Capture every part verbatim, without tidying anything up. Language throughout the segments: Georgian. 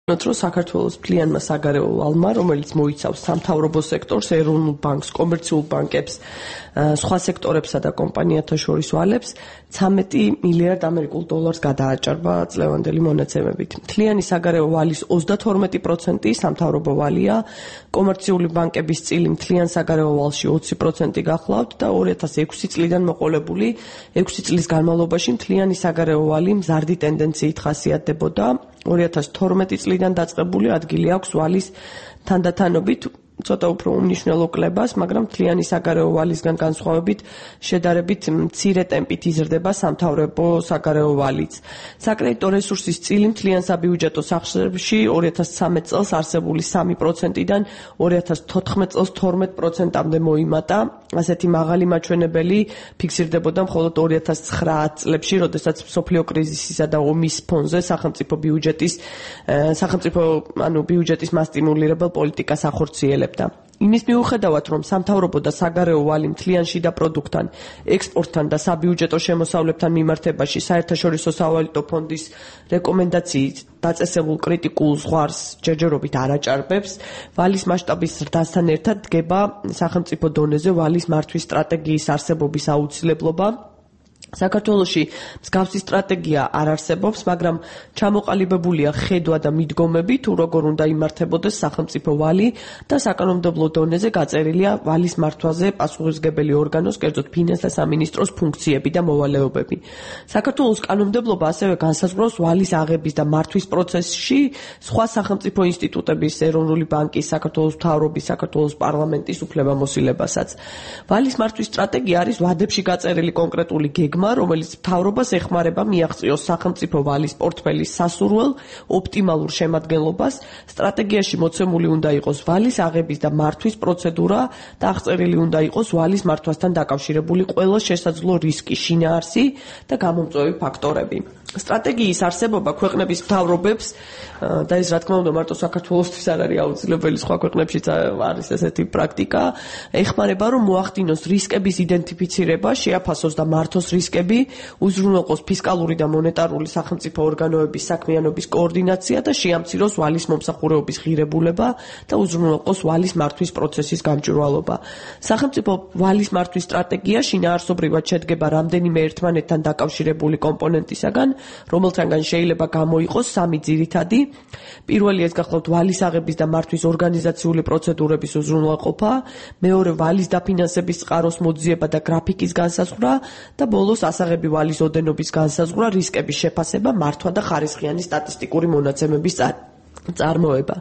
რომ საქართველოს მთლიანმა საგარეო ვალმა, რომელიც მოიცავს სამთავრობო სექტორს, ეროვნულ ბანკს, კომერციულ ბანკებს, სხვა სექტორებსა და კომპანიათა შორის ვალებს ცამეტი მილიარდ ამერიკულ დოლარს გადააჭარბა წლევანდელი მონაცემებით. მთლიანი საგარეო ვალის ოცდათორმეტი პროცენტი სამთავრობო ვალია, კომერციული ბანკების წილი მთლიან საგარეო ვალში ოცი პროცენტი გახლავთ და ორი ათას ექვსი წლიდან მოყოლებული ექვსი წლის განმავლობაში მთლიანი საგარეო ვალი მზარდი ტენდენციით ხასიათდებოდა. ორი ათას თორმეტი წლიდან დაწყებული ადგილი აქვს ვალის თანდათანობით ცოტა უფრო უმნიშვნელო კლებას, მაგრამ მთლიანი საგარეო ვალისგან განსხვავებით შედარებით მცირე ტემპით იზრდება სამთავრობო საგარეო ვალიც. საკრედიტო რესურსის წილი მთლიან საბიუჯეტო სახსრებში ორი ათას ცხრამეტ წელს არსებული სამი პროცენტიდან ორი ათას თოთხმეტ წელს თორმეტ პროცენტამდე მოიმატა. ასეთი მაღალი მაჩვენებელი ფიქსირდებოდა მხოლოდ ორი ათას ცხრა წლებში, როდესაც მსოფლიო კრიზისისა და ომის ფონზე სახელმწიფო ბიუჯეტის სახელმწიფო ანუ ბიუჯეტის მასტიმულირებელ პოლიტიკას ახორციელებდა. იმის მიუხედავად, რომ სამთავრობო და საგარეო ვალი მთლიან შიდა პროდუქტთან, ექსპორტთან და საბიუჯეტო შემოსავლებთან მიმართებაში საერთაშორისო სავალუტო ფონდის რეკომენდაციით დაწესებულ კრიტიკულ ზღვარს ჯერჯერობით არ აჭარბებს, ვალის მასშტაბის ზრდასთან ერთად დგება სახელმწიფო დონეზე ვალის მართვის სტრატეგიის არსებობის აუცილებლობა. საქართველოში მსგავსი სტრატეგია არ არსებობს, მაგრამ ჩამოყალიბებულია ხედვა და მიდგომები, თუ როგორ უნდა იმართებოდეს სახელმწიფო ვალი და საკანონმდებლო დონეზე გაწერილია ვალის მართვაზე პასუხისმგებელი ორგანოს, კერძოდ ფინანსთა სამინისტროს ფუნქციები და მოვალეობები. საქართველოს კანონმდებლობა ასევე განსაზღვრავს ვალის აღების და მართვის პროცესში სხვა სახელმწიფო ინსტიტუტების, ეროვნული ბანკის, საქართველოს მთავრობის, საქართველოს პარლამენტის უფლებამოსილებასაც. ვალის მართვის სტრატეგია არის ვადებში გაწერილი კონკრეტული გეგმა, რომელიც მთავრობას ეხმარება მიაღწიოს სახელმწიფო ვალის პორტფელის სასურველ ოპტიმალურ შემადგენლობას. სტრატეგიაში მოცემული უნდა იყოს ვალის აღების და მართვის პროცედურა და აღწერილი უნდა იყოს ვალის მართვასთან დაკავშირებული ყველა შესაძლო რისკი, შინაარსი და გამომწვევი ფაქტორები. სტრატეგიის არსებობა ქვეყნების მთავრობებს და ეს რა თქმა უნდა მარტო საქართველოსთვის არ არის აუცილებელი, სხვა ქვეყნებშიც არის ესეთი პრაქტიკა, ეხმარება რომ მოახდინოს რისკების იდენტიფიცირება, შეაფასოს და მართოს რისკები, უზრუნველყოს ფისკალური და მონეტარული სახელმწიფო ორგანოების საქმიანობის კოორდინაცია და შეამციროს ვალის მომსახურეობის ღირებულება და უზრუნველყოს ვალის მართვის პროცესის გამჭვირვალობა. სახელმწიფო ვალის მართვის სტრატეგია შინაარსობრივად შედგება რამდენიმე ერთმანეთთან დაკავშირებული კომპონენტისაგან, რომელთაგან შეიძლება გამოიყოს სამი ძირითადი. პირველი ეს გახლავთ ვალის აღების და მართვის ორგანიზაციული პროცედურების უზრუნველყოფა, მეორე ვალის დაფინანსების წყაროს მოძიება და გრაფიკის განსაზღვრა და ბოლოს ასაღები ვალის ოდენობის განსაზღვრა, რისკების შეფასება, მართვა და ხარისხიანი სტატისტიკური მონაცემების წარმოება.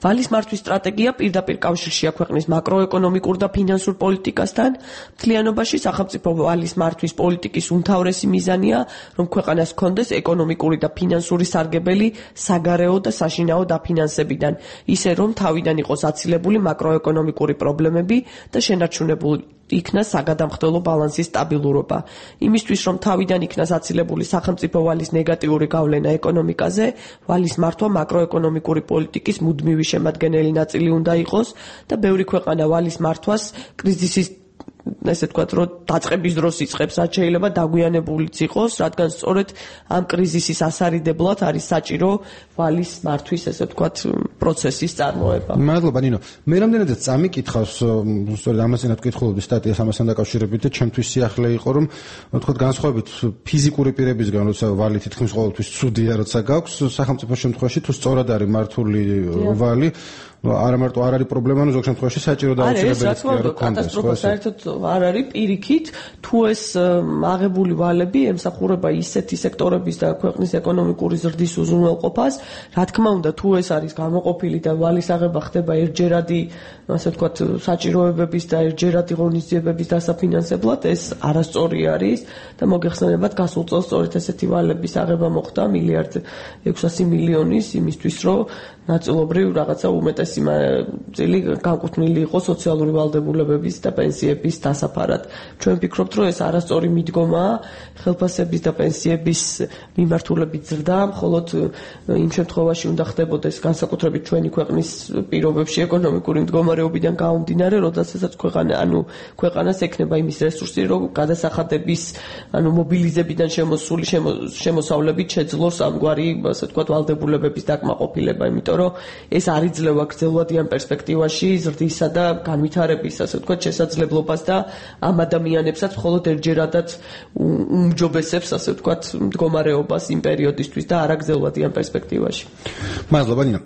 ვალის მართვის სტრატეგია პირდაპირ კავშირშია ქვეყნის მაკროეკონომიკურ და ფინანსურ პოლიტიკასთან. მთლიანობაში სახელმწიფო ვალის მართვის პოლიტიკის უმთავრესი მიზანია, რომ ქვეყანას ჰქონდეს ეკონომიკური და ფინანსური სარგებელი საგარეო და საშინაო დაფინანსებიდან, ისე რომ თავიდან იყოს აცილებული მაკროეკონომიკური პრობლემები და შენარჩუნებული იქნას საგადამხდელო ბალანსის სტაბილურობა. იმისთვის, რომ თავიდან იქნას აცილებული სახელმწიფო ვალის ნეგატიური გავლენა ეკონომიკაზე, ვალის მართვა მაკროეკონომიკური პოლიტიკის მუდმივი შემადგენელი ნაწილი უნდა იყოს და ბევრი ქვეყანა ვალის მართვას კრიზისის ესე თქვათ, რომ დაწყების დროს იწყებს, რაც შეიძლება დაგვიანებულიც იყოს, რადგან სწორედ ამ კრიზისის ასარიდებლად არის საჭირო ვალის მართვის, ესე თქვათ, პროცესის წარმოება. მადლობა, ნინო. მე რამდენადაც წამიკითხავს, სწორედ ამასთანაც ვკითხულობდი სტატიას ამასთან დაკავშირებით და ჩემთვის სიახლე იყო, რომ თქვათ, განსხვავებით ფიზიკური პირებისგან, როცა ვალი თითქმის ყოველთვის ცუდია, როცა გაქვს, სახელმწიფო შემთხვევაში თუ სწორად არის მართული ვალი, არა მარტო არ არის პრობლემა, ნუ ზოგ შემთხვევაში საჭირო და აუცილებელია რომ კატასტროფა საერთოდ არ არის პირიქით, თუ ეს აღებული ვალები ემსახურება ისეთი სექტორების და ქვეყნის ეკონომიკური ზრდის უზრუნველყოფას, რა თქმა უნდა, თუ ეს არის გამოყოფილი და ვალის აღება ხდება ერთჯერადი, ასე ვთქვათ, საჭიროებების და ერთჯერადი ღონისძიებების დასაფინანსებლად, ეს არასწორი არის და მოგეხსენებათ, გასულ წელს სწორედ ესეთი ვალების აღება მოხდა მილიარდ ექვსასი მილიონის იმისთვის, რომ ნაწილობრივ რაღაცა უმეტესი სიმართლე განკუთვნილი იყო სოციალური ვალდებულებების და პენსიების დასაფარად. ჩვენ ვფიქრობთ, რომ ეს არასწორი მიდგომაა ხელფასების და პენსიების მიმართულებით ზრდა, მხოლოდ იმ შემთხვევაში უნდა ხდებოდეს განსაკუთრებით ჩვენი ქვეყნის პირობებში ეკონომიკური მდგომარეობიდან გამომდინარე, როდესაც ქვეყანა, ანუ ქვეყანას ექნება იმის რესურსი, რომ გადასახადების, ანუ მობილიზებიდან შემოსული შემოსავლებით შეძლოს ამგვარი, ასე ვთქვათ, ვალდებულებების დაკმაყოფილება, იმიტომ რომ ეს არ იძლევა გრძელვადიან პერსპექტივაში ზრდისა და განვითარების, ასე ვთქვათ, შესაძლებლობას და ამ ადამიანებსაც მხოლოდ ერთჯერადაც უმჯობესებს, ასე ვთქვათ, მდგომარეობას იმ პერიოდისთვის და არა გრძელვადიან პერსპექტივაში. მადლობა ნინო.